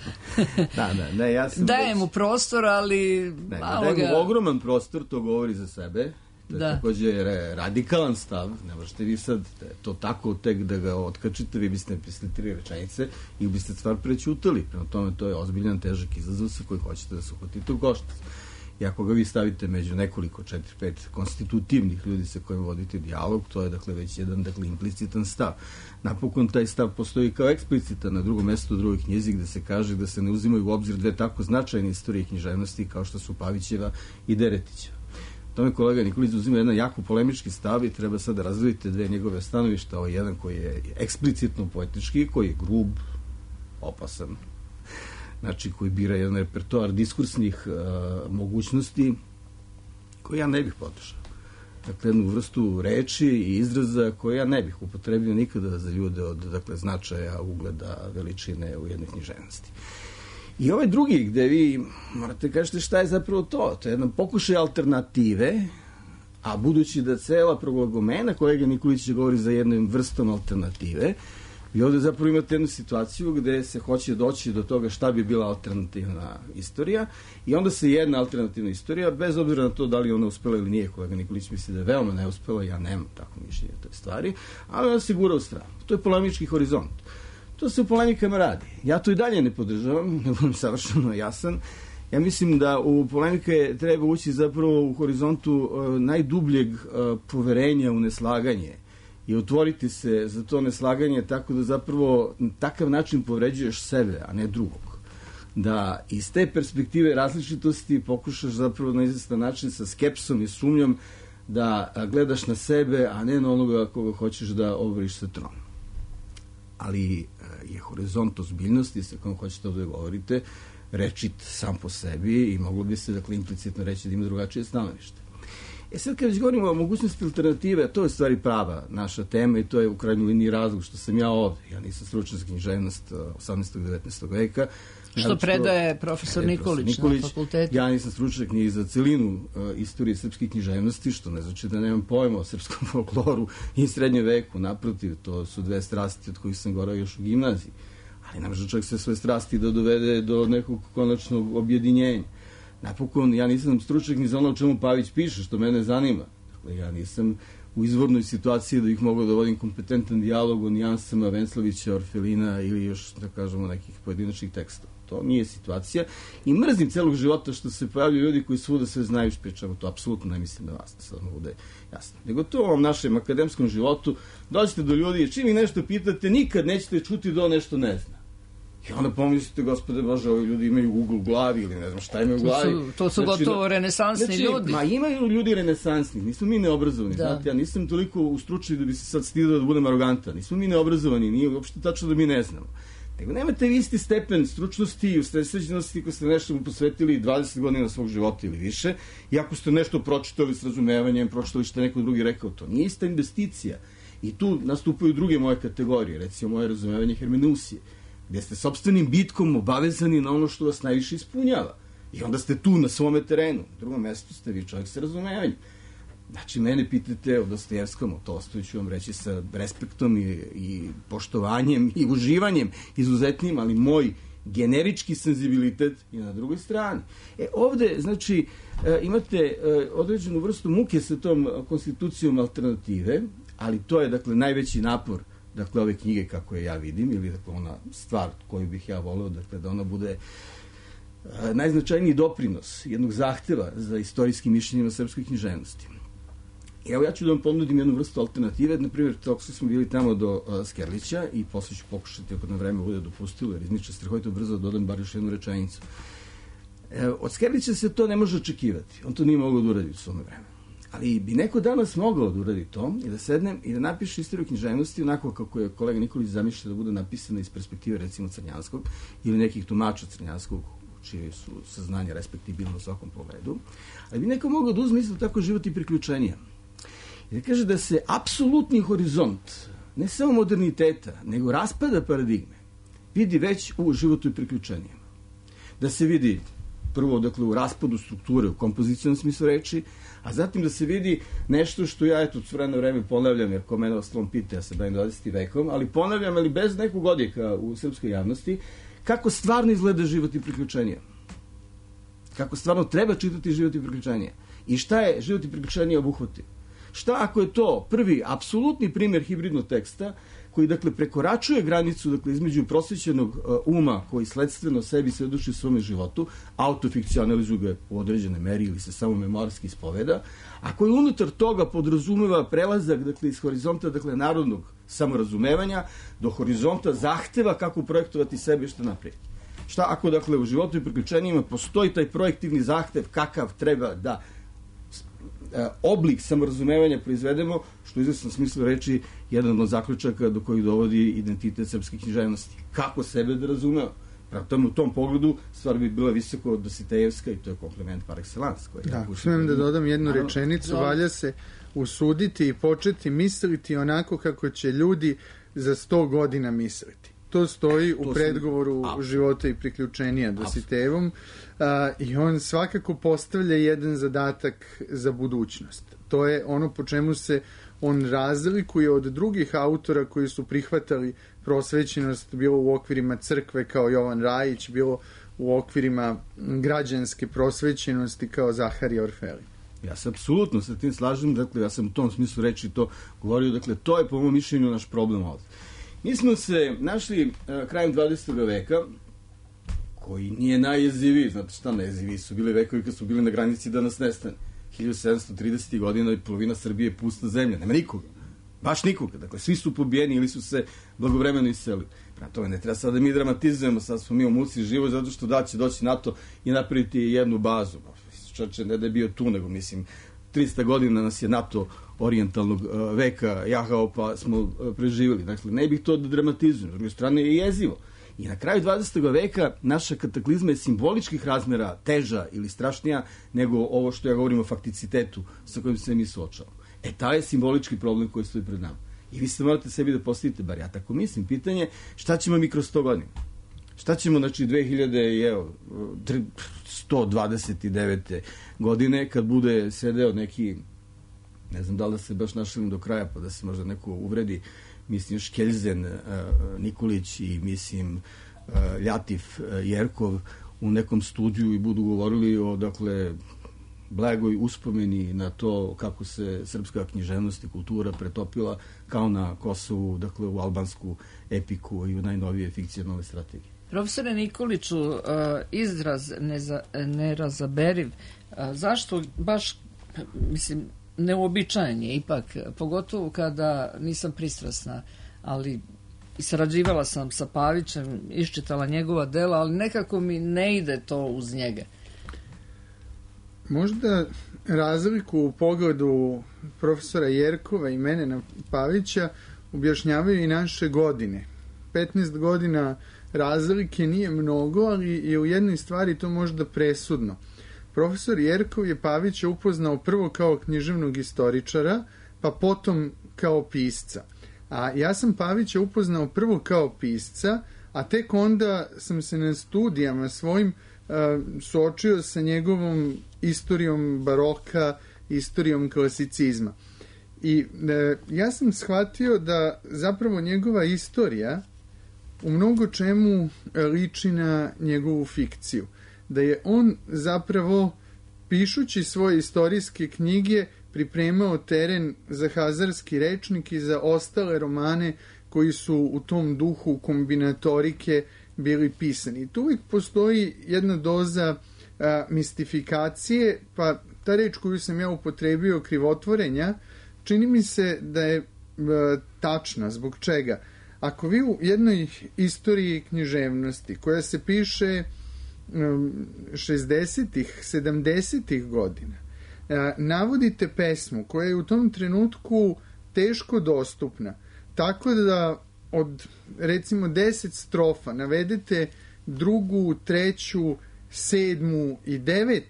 Daje mu prostor, ali malo ga... Ogroman prostor, to govori za sebe. To je također radikalan stav. Ne možete vi sad to tako tek da ga otkačite, vi biste napisali 3 rečenice i biste stvar prećutali. Prema tome, to je ozbiljan, težak izazov sa koji hoćete da se uhvatite u koštac. I ako ga vi stavite među nekoliko 4-5 konstitutivnih ljudi sa kojima vodite dijalog, to je dakle već jedan implicitan stav. Napokon taj stav postoji kao eksplicitan na drugom mjestu u drugoj knjizi gde se kaže da se ne uzimaju u obzir dve tako značajne istorije književnosti kao što su Pavićeva i Deretićeva. Tome kolega Nikolić uzima jedan jako polemički stav i treba sad da razdvojite dve njegove stanovišta. Ovo je jedan koji je eksplicitno poetički, koji je grub, opasan, znači koji bira jedan repertoar diskursnih mogućnosti koji ja ne bih podržao. Dakle, jednu vrstu reči i izraza koje ja ne bih upotrebio nikada za ljude od značaja, ugleda, veličine u jednoj književnosti. I ovaj drugi gde vi morate kažete šta je zapravo to. To je jedan pokušaj alternative, a budući da cela proglagomena kolega Nikolić govori za jednom vrstom alternative, vi ovdje zapravo imate jednu situaciju gde se hoće doći do toga šta bi bila alternativna istorija i onda se jedna alternativna istorija, bez obzira na to da li ona uspela ili nije, kolega Nikolić misli da je veoma neuspela, ja nemam tako mišljenje o toj stvari, ali ona se gura u stranu. To je polemički horizont. To se u polemikama radi. Ja to i dalje ne podržavam, ne budem savršeno jasan. Ja mislim da u polemike treba ući zapravo u horizontu najdubljeg poverenja u neslaganje i otvoriti se za to neslaganje tako da zapravo na takav način povređuješ sebe, a ne drugog. da iz te perspektive različitosti pokušaš zapravo na izvestan način sa skepsom i sumnjom da gledaš na sebe, a ne na onoga koga hoćeš da obriš sa tron. Ali je horizont ozbiljnosti sa kojom hoćete ovdje govorite rečit sam po sebi i moglo bi se dakle implicitno reći da ima drugačije stanovište. Sad kad već govorimo o mogućnosti alternative, to je stvari prava naša tema i to je u krajnjoj liniji razlog što sam ja ovdje. Ja nisam stručnjak za književnost 18. i 19. veka. Što predaje profesor Nikolić na fakultetu. Ja nisam stručnjak ni za celinu istorije srpske književnosti, što ne znači da nemam pojma o srpskom folkloru i srednjem veku. Naprotiv, to su dve strasti od kojih sam govorio još u gimnaziji. Ali ne može čovjek sve svoje strasti da dovede do nekog konačnog objedinjenja. Napokon, ja nisam stručnjak ni za ono o čemu Pavić piše, što mene zanima. Dakle, ja nisam u izvornoj situaciji da ih mogu da vodim kompetentan dijalog o nijansama Venslavića, Orfelina ili još, da kažemo, nekih pojedinačnih tekstova. To nije situacija i mrzim celog života što se pojavljaju ljudi koji svuda sve znaju pričamo. To apsolutno ne mislim da vas, da sad mogu da je jasno. Nego to u ovom našem akademskom životu dođete do ljudi i čim ih nešto pitate, nikad nećete čuti da on nešto ne zna. I onda pomislite, gospode Bože, ovi ljudi imaju ugl u glavi ili ne znam šta imaju u glavi. To su gotovo renesansni ljudi. Ma imaju ljudi renesansni, nismo mi neobrazovani. Znate, ja nisam toliko ustručen da bi se sad stidio da budem arogantan. Nismo mi neobrazovani, nije uopšte tačno da mi ne znamo. Nego nemate vi isti stepen stručnosti i usredsređenosti ako ste nešto mu posvetili 20 godina svog života ili više i ako ste nešto pročitali s razumevanjem, pročitali što neko drugi rekao, to nije ista investicija. I tu nastupaju druge moje kategorije, recimo moje razumevanje hermeneusije, gdje ste sopstvenim bitkom obavezani na ono što vas najviše ispunjava. I onda ste tu na svome terenu. Na drugom mjestu ste vi čovjek sa razumevanjem. Znači, mene pitate o Dostojevskom, o Tolstoju ću vam reći sa respektom i poštovanjem i uživanjem izuzetnim, ali moj generički senzibilitet je na drugoj strani. Ovdje, znači, imate određenu vrstu muke sa tom konstitucijom alternative, ali to je, dakle, najveći napor dakle, ove knjige kako je ja vidim, ili dakle, ona stvar koju bih ja voleo, dakle, da ona bude najznačajniji doprinos jednog zahteva za istorijskim mišljenjima srpskoj književnosti. Evo, ja ću da vam ponudim jednu vrstu alternative, na primjer, tako smo bili tamo do Skerlića i posle ću pokušati, ako na vreme bude dopustilo, jer izniče strahovito brzo da dodam bar još jednu rečenicu. Od Skerlića se to ne može očekivati, on to nije mogao da uradi u svome vremenu. Ali bi neko danas mogao da uradi to i da sednem i da napiše istoriju književnosti onako kako je kolega Nikolić zamišlja da bude napisana iz perspektive recimo Crnjanskog ili nekih tumača Crnjanskog, čije su saznanja respektibilno u svakom pogledu. Ali bi neko mogao da uzme isto tako život i priključenja. I da kaže da se apsolutni horizont, ne samo moderniteta, nego raspada paradigme, vidi već u životu i priključenjima. Da se vidi prvo, dakle, u raspadu strukture, u kompozicijnom smislu reči, a zatim da se vidi nešto što ja, eto, s vremena vreme ponavljam, jer ko mene ostalom pita, ja se bavim 20. vekom, ali ponavljam, ali bez nekog odjeka u srpskoj javnosti, kako stvarno izgleda život i priključenje. Kako stvarno treba čitati život i priključenje. I šta je život i priključenje obuhvatio? Šta ako je to prvi, apsolutni primjer hibridnog teksta, koji, dakle, prekoračuje granicu, dakle, između prosvećenog uma koji sledstveno sebi svedoči u svome životu, autofikcionalizuje ga u određenoj meri ili se samo memorski ispoveda, a koji unutar toga podrazumeva prelazak, dakle, iz horizonta, dakle, narodnog samorazumevanja do horizonta zahteva kako projektovati sebe i što naprijed. Šta ako, dakle, u životu i priključenjima postoji taj projektivni zahtev kakav treba da oblik samorazumevanja proizvedemo, što u izvesnom smislu reči jedan od zaključaka do kojih dovodi identitet srpske književnosti. Kako sebe da razumeo? Pravo tome u tom pogledu stvar bi bila visoko dositejevska i to je komplement par excellence. Da, smijem da dodam jednu rečenicu, valja se usuditi i početi misliti onako kako će ljudi za 100 godina misliti. To stoji u predgovoru života i priključenja Dositejevom i on svakako postavlja jedan zadatak za budućnost. To je ono po čemu se on razlikuje od drugih autora koji su prihvatali prosvećenost, bilo u okvirima crkve kao Jovan Rajić, bilo u okvirima građanske prosvećenosti kao Zaharije Orfeli. Ja se apsolutno sa tim slažem, dakle, ja sam u tom smislu reči to govorio, dakle, to je po mom mišljenju naš problem ovdje. Mi smo se našli krajem 20. veka, koji nije najjeziviji, znate šta, najjeziviji su bili vekovi kad su bili na granici da nas nestane. 1730. godina i polovina Srbije je pusta zemlja, nema nikoga. Baš nikoga. Dakle, svi su pobijeni ili su se blagovremeno iselili. Prema tome, ne treba sad da mi dramatizujemo, sad smo mi u muci život, zato što da će doći NATO i napraviti jednu bazu. Čoče, ne da je bio tu, nego mislim, 300 godina nas je NATO orijentalnog veka jahao, pa smo preživjeli. Dakle, ne bih to da dramatizujem. S druge strane je jezivo. I na kraju 20. veka naša kataklizma je simboličkih razmera teža ili strašnija nego ovo što ja govorim o fakticitetu sa kojim se mi suočavamo. Taj je simbolički problem koji stoji pred nama. I vi se morate sebi da postavite, bar ja tako mislim, pitanje šta ćemo mi kroz 100 godina? Šta ćemo, znači, 2129. godine, kad bude sedeo neki, ne znam da li da se baš našalim do kraja, pa da se možda neko uvredi, mislim, Škeljzen, Nikolić i, mislim, Ljatif, Jerkov u nekom studiju i budu govorili o, dakle, blagoj uspomeni na to kako se srpska književnost i kultura pretopila kao na Kosovu, dakle, u albansku epiku i u najnovije fikcionalne strategije. Profesore Nikoliću, izraz nerazaberiv, zašto baš, mislim, neuobičajen je ipak, pogotovo kada nisam pristrasna, ali sarađivala sam sa Pavićem, iščitala njegova dela, ali nekako mi ne ide to uz njega. Možda razliku u pogledu profesora Jerkova i mene na Pavića objašnjavaju i naše godine. 15 godina razlike nije mnogo, ali je u jednoj stvari to možda presudno. Profesor Jerkov je Pavića upoznao prvo kao književnog istoričara, pa potom kao pisca. A ja sam Pavića upoznao prvo kao pisca, a tek onda sam se na studijama svojim suočio sa njegovom istorijom baroka, istorijom klasicizma. I ja sam shvatio da zapravo njegova istorija u mnogo čemu liči na njegovu fikciju. Da je on zapravo, pišući svoje istorijske knjige, pripremao teren za hazarski rečnik i za ostale romane koji su u tom duhu kombinatorike bili pisani. Tu uvijek postoji jedna doza mistifikacije, pa ta reč koju sam ja upotrebio, krivotvorenja, čini mi se da je tačna. Zbog čega? Ako vi u jednoj istoriji književnosti koja se piše 60-ih, 70-ih godina, navodite pesmu koja je u tom trenutku teško dostupna, tako da od, recimo, 10 strofa navedete 2., 3., 7. i 9.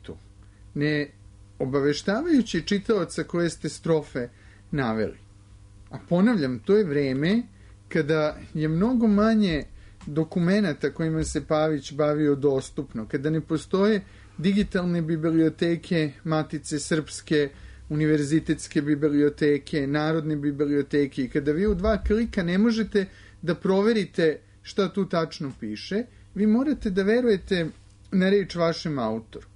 ne obaveštavajući čitaoca koje ste strofe naveli. A ponavljam, to je vreme kada je mnogo manje dokumenata kojima se Pavić bavio dostupno, kada ne postoje digitalne biblioteke Matice Srpske, univerzitetske biblioteke, narodne biblioteke, i kada vi u 2 klika ne možete da proverite šta tu tačno piše, vi morate da verujete na reč vašem autoru.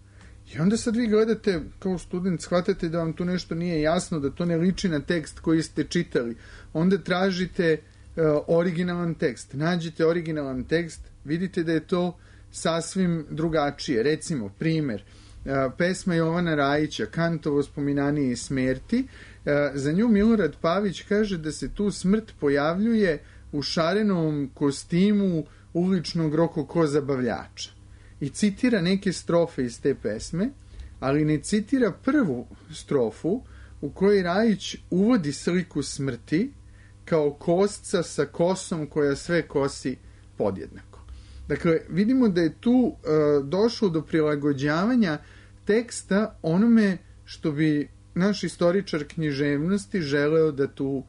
I onda sad vi gledate, kao student, shvatate da vam tu nešto nije jasno, da to ne liči na tekst koji ste čitali. Onda tražite originalan tekst. Nađete originalan tekst, vidite da je to sasvim drugačije. Recimo, primer, pesma Jovana Rajića, Kantovo spominanje i smrti, za nju Milorad Pavić kaže da se tu smrt pojavljuje u šarenom kostimu uličnog rokoko zabavljača. I citira neke strofe iz te pesme, ali ne citira prvu strofu u kojoj Rajić uvodi sliku smrti kao kosca sa kosom koja sve kosi podjednako. Dakle, vidimo da je tu došlo do prilagođavanja teksta onome što bi naš istoričar književnosti želeo da tu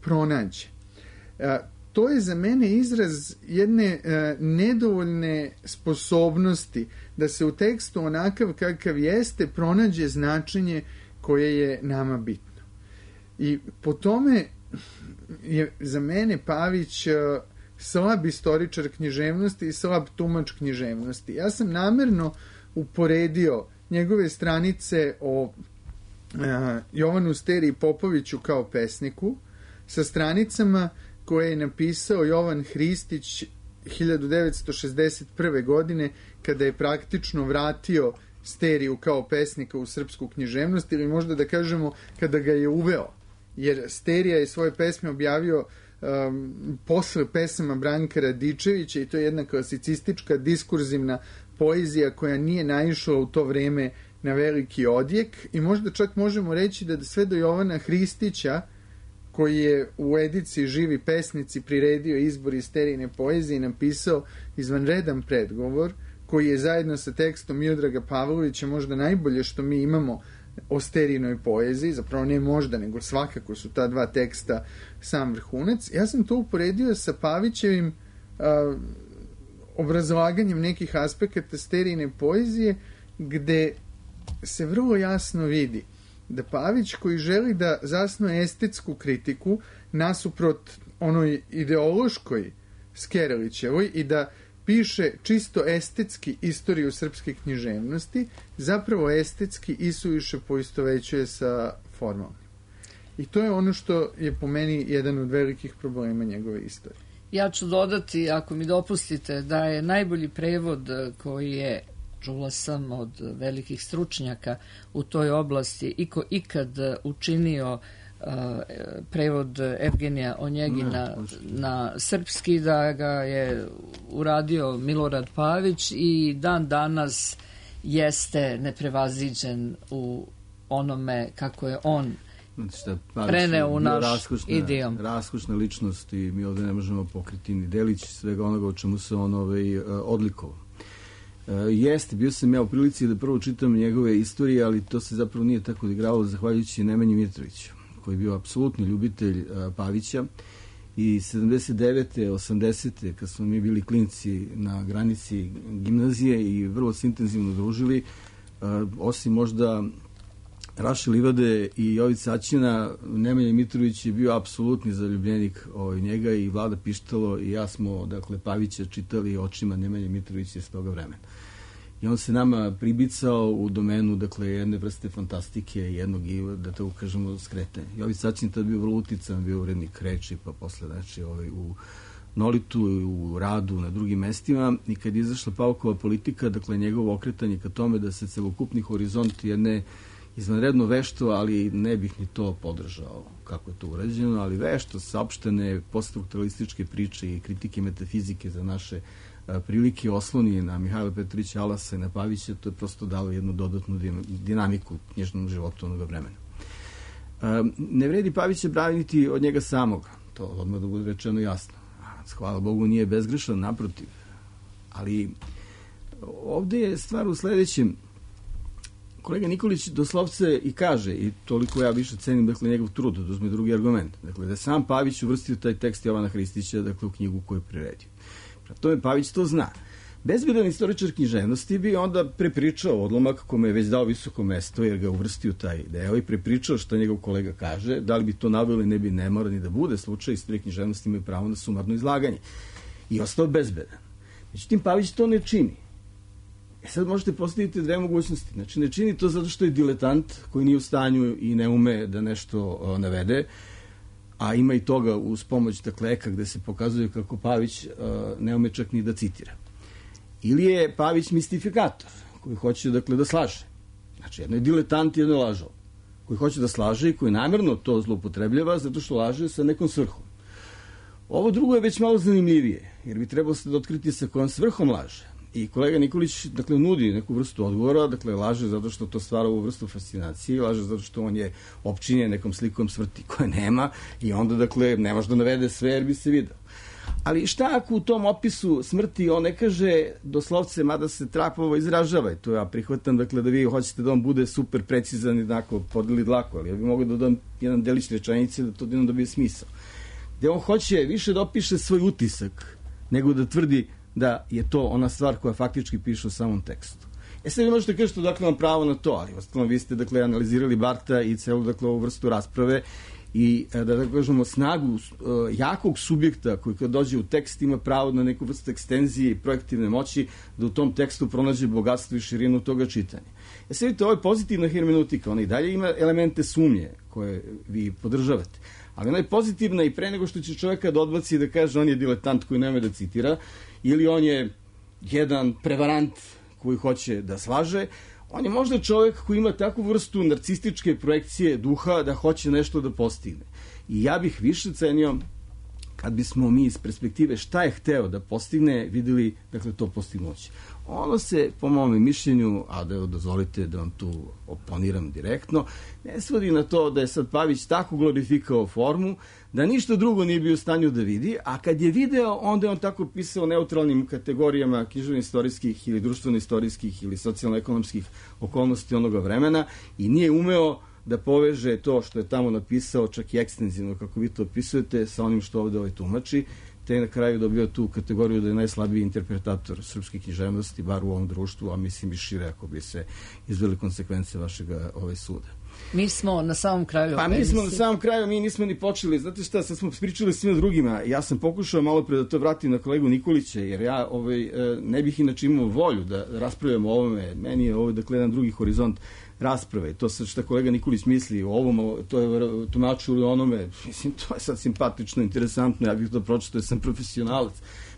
pronađe. To je za mene izraz jedne nedovoljne sposobnosti da se u tekstu onakav kakav jeste pronađe značenje koje je nama bitno. I po tome je za mene Pavić slab istoričar književnosti i slab tumač književnosti. Ja sam namerno uporedio njegove stranice o Jovanu Steri Popoviću kao pesniku sa stranicama koje je napisao Jovan Hristić 1961. godine, kada je praktično vratio Steriju kao pesnika u srpsku književnost, ili možda da kažemo kada ga je uveo jer Sterija je svoje pesme objavio posle pesama Branka Radičevića i to je jedna klasicistička diskurzivna poezija koja nije naišla u to vreme na veliki odjek i možda čak možemo reći da sve do Jovana Hristića, koji je u ediciji Živi pesnici priredio izbor iz Sterijine poezije i napisao izvanredan predgovor, koji je zajedno sa tekstom Miodraga Pavlovića možda najbolje što mi imamo o Sterijinoj poeziji, zapravo ne možda, nego svakako su ta dva teksta sam vrhunac. Ja sam to uporedio sa Pavićevim obrazlaganjem nekih aspekata Sterijine poezije, gde se vrlo jasno vidi da Pavić, koji želi da zasnuje estetsku kritiku nasuprot onoj ideološkoj Skerelićevoj i da piše čisto estetski istoriju srpske književnosti, zapravo estetski isuviše poistovećuje sa formalnim. I to je ono što je po meni jedan od velikih problema njegove istorije. Ja ću dodati, ako mi dopustite, da je najbolji prevod koji je, čula sam od velikih stručnjaka u toj oblasti, ikad učinio prevod Evgenija Onjegina na srpski, da ga je uradio Milorad Pavić i dan danas jeste neprevaziđen u onome kako je on preneo u naš idiom. Raskošna ličnost i mi ovdje ne možemo pokriti ni delić svega onoga o čemu se on odlikovao. Jeste, bio sam ja u prilici da prvo čitam njegove istorije, ali to se zapravo nije tako odigralo zahvaljujući Nemanji Mitroviću, koji je bio apsolutni ljubitelj Pavića i 79. 80. kad smo mi bili klinci na granici gimnazije i vrlo se intenzivno družili, osim možda Raše Livade i Jovica Aćina, Nemanja Mitrović je bio apsolutni zaljubljenik njega i Vlada Pištalo i ja smo, dakle, Pavića čitali očima Nemanje Mitrovića iz toga vremena. I on se nama pribicao u domenu, dakle, jedne vrste fantastike, jednog, da tako kažemo, skretanja. Jovica Aćin tad bio vrlo utican, bio urednik Reči, pa posle, znači, u Nolitu, u Radu, na drugim mestima, i kad je izašla Pavkova politika, dakle, njegovo okretanje ka tome da se celokupni horizont jedne izvanredno vešto, ali ne bih ni to podržao kako je to urađeno, ali vešto, saopštene poststrukturalističke priče i kritike metafizike za naše prilike osloni na Mihajla Petrovića Alasa i na Pavića, to je prosto dalo jednu dodatnu dinamiku knjižnom životu onoga vremena. Ne vredi Pavića braniti od njega samoga, to odmah da bude rečeno jasno. Hvala Bogu nije bezgrešan, naprotiv. Ali ovde je stvar u sledećem. Kolega Nikolić doslovce i kaže, i toliko ja više cenim, dakle, njegov trud, da uzme drugi argument, dakle, da je sam Pavić uvrstio taj tekst Jovana Hristića, dakle, u knjigu koju je priredio. Prema tome Pavić to zna. Bezbedan istoričar književnosti bi onda prepričao odlomak kome je već dao visoko mesto, jer ga uvrstio taj deo i prepričao što njegov kolega kaže, da li bi to naveli, ne bi, ne mora ni da bude slučaj, istorije književnosti imaju pravo na sumarno izlaganje. I ostao bezbedan. Međutim, Pavić to ne čini. Sad možete postaviti dve mogućnosti. Znači, ne čini to zato što je diletant koji nije u stanju i ne ume da nešto navede, a ima i toga uz pomoć, dakle, Eka, gde se pokazuje kako Pavić ne ume čak ni da citira. Ili je Pavić mistifikator koji hoće, dakle, da slaže. Znači, jedno je diletant, jedno je lažov, koji hoće da slaže i koji namjerno to zloupotrebljava zato što laže sa nekom svrhom. Ovo drugo je već malo zanimljivije, jer bi trebalo se da otkriti sa kojom svrhom laže. I kolega Nikolić, dakle, nudi neku vrstu odgovora, dakle, laže zato što to stvara ovu vrstu fascinacije, laže zato što on je opčinjen nekom slikom smrti koje nema i onda, dakle, ne može da navede sve jer bi se video. Ali šta ako u tom opisu smrti on ne kaže doslovce, mada se trapovo izražava, i to ja prihvatam, dakle, da vi hoćete da on bude super precizan i onako podeli dlaku, ali ja bih mogao da dodam jedan delić rečenice da to jednom dobije smisao. Gde on hoće više da opiše svoj utisak nego da tvrdi da je to ona stvar koja faktički piše u samom tekstu. Sad vi možete kažete, dakle, vam pravo na to, ali ostalo vi ste, dakle, analizirali Barta i celu, dakle, ovu vrstu rasprave i da kažemo snagu jakog subjekta koji kad dođe u tekst ima pravo na neku vrstu ekstenzije i projektivne moći da u tom tekstu pronađe bogatstvo i širinu toga čitanja. Sad vidite, ovo je pozitivna hermeneutika, ona i dalje ima elemente sumnje koje vi podržavate, ali ona je pozitivna i pre nego što će čovjeka da odbaci da kaže on je diletant koji nema da citira ili on je jedan prevarant koji hoće da slaže, On je možda čovjek koji ima takvu vrstu narcističke projekcije duha da hoće nešto da postigne. I ja bih više cenio kad bismo mi iz perspektive šta je hteo da postigne, videli, dakle, to postignuće. Ono se, po mom mišljenju, a da dozvolite da vam tu oponiram direktno, ne svodi na to da je sad Pavić tako glorifikao formu, da ništa drugo nije bio u stanju da vidi, a kad je video, onda je on tako pisao neutralnim kategorijama književno-istorijskih ili društveno-istorijskih ili socijalno-ekonomskih okolnosti onoga vremena i nije umeo da poveže to što je tamo napisao, čak i ekstenzivno, kako vi to opisujete, sa onim što ovde tumači, te na kraju dobio tu kategoriju da je najslabiji interpretator srpske književnosti, bar u ovom društvu, a mislim i šire ako bi se izveli konsekvence vašeg suda. Mi smo na samom kraju. Pa mi smo na samom kraju, mi nismo ni počeli. Znate šta, sad smo pričali svima drugima. Ja sam pokušao malo pre da to vratim na kolegu Nikolića, jer ja ne bih inače imao volju da raspravljamo o ovome. Meni je ovo, dakle, jedan drugi horizont rasprave. To sad što kolega Nikolić misli o ovom, to je tumačilo onome. Mislim, to je sad simpatično, interesantno. Ja bih to pročitao, jer sam profesionalac.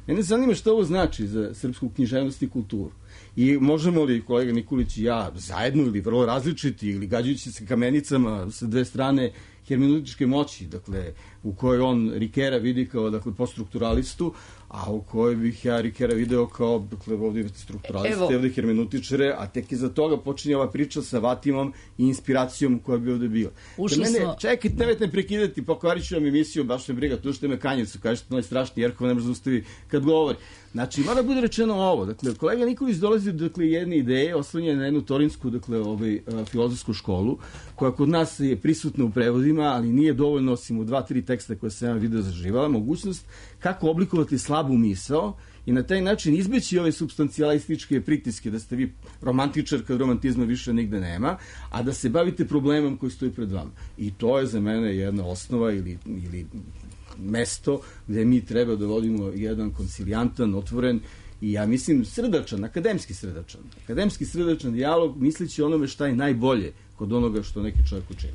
Mene zanima što ovo znači za srpsku književnost i kulturu. I možemo li kolega Nikolić i ja zajedno ili vrlo različiti ili gađajući se kamenicama sa dve strane hermeneutičke moći, dakle, u kojoj on Rikera vidi kao, dakle, poststrukturalistu, a u kojoj bih ja Rikera video kao, dakle, ovdje imate strukturaliste, ovdje hermeneutičare, a tek iza toga počinje ova priča sa Vatimom i inspiracijom koja bi ovdje bila. Čekajte, nemojte me prekidati, pokvarit ću vam emisiju, baš me briga, tu što me kanjicu, kažete, najstrašniji, Jerkova ne može zaustavi kad govori. Znači, mora bude rečeno ovo, dakle, kolega Nikolić dolazi do, dakle, jedne ideje, oslanja na jednu torinsku, dakle, filozofsku školu, koja kod nas je prisutna u prevodima, ali nije dovoljno, osim u 2-3 teksta koje sam ja video zaživala, mogućnost kako oblikovati slabu misao i na taj način izbeći ove substancijalističke pritiske, da ste vi romantičar kad romantizma više nigde nema, a da se bavite problemom koji stoji pred vama. I to je za mene jedna osnova ili mesto gde mi treba da vodimo jedan koncilijantan, otvoren i ja mislim srdačan, akademski srdačan dijalog, misleći onome šta je najbolje kod onoga što neki čovjek učini.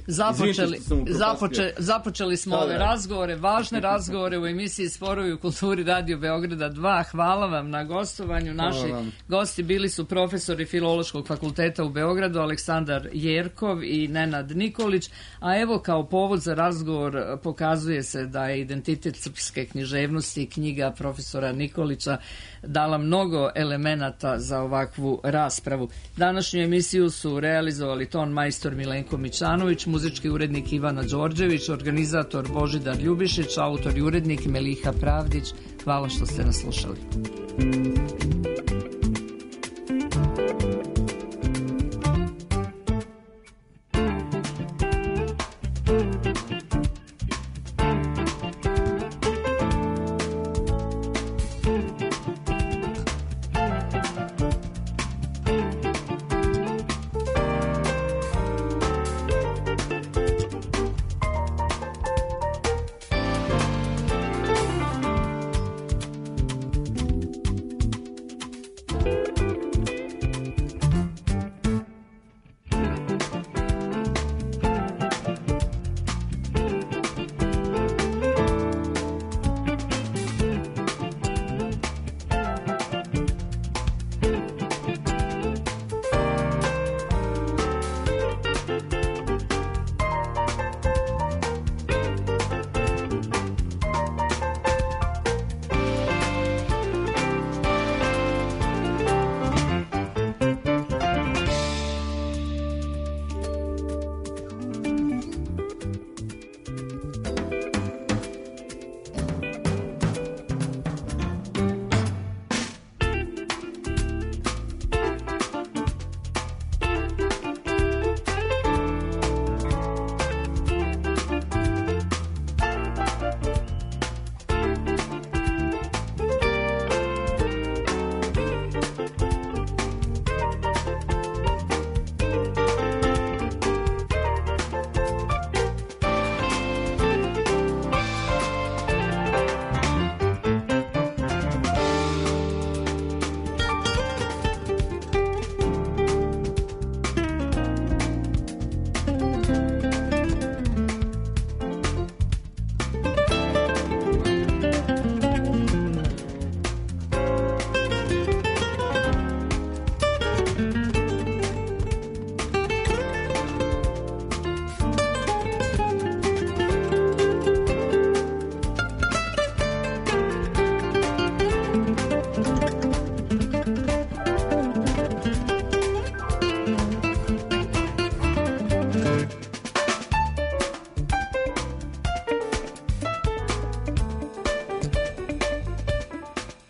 Započeli smo ove razgovore, važne razgovore u emisiji Sporovi u kulturi Radio Beograda 2. Hvala vam na gostovanju. Naši gosti bili su profesori Filološkog fakulteta u Beogradu Aleksandar Jerkov i Nenad Nikolić, a evo kao povod za razgovor pokazuje se da je Identitet srpske književnosti, knjiga profesora Nikolića, dala mnogo elemenata za ovakvu raspravu. Današnju emisiju su realizovali ton majstor Milenko Mićanović, muzički urednik Ivana Đorđević, organizator Božidar Ljubišić, autor i urednik Meliha Pravdić. Hvala što ste nas slušali.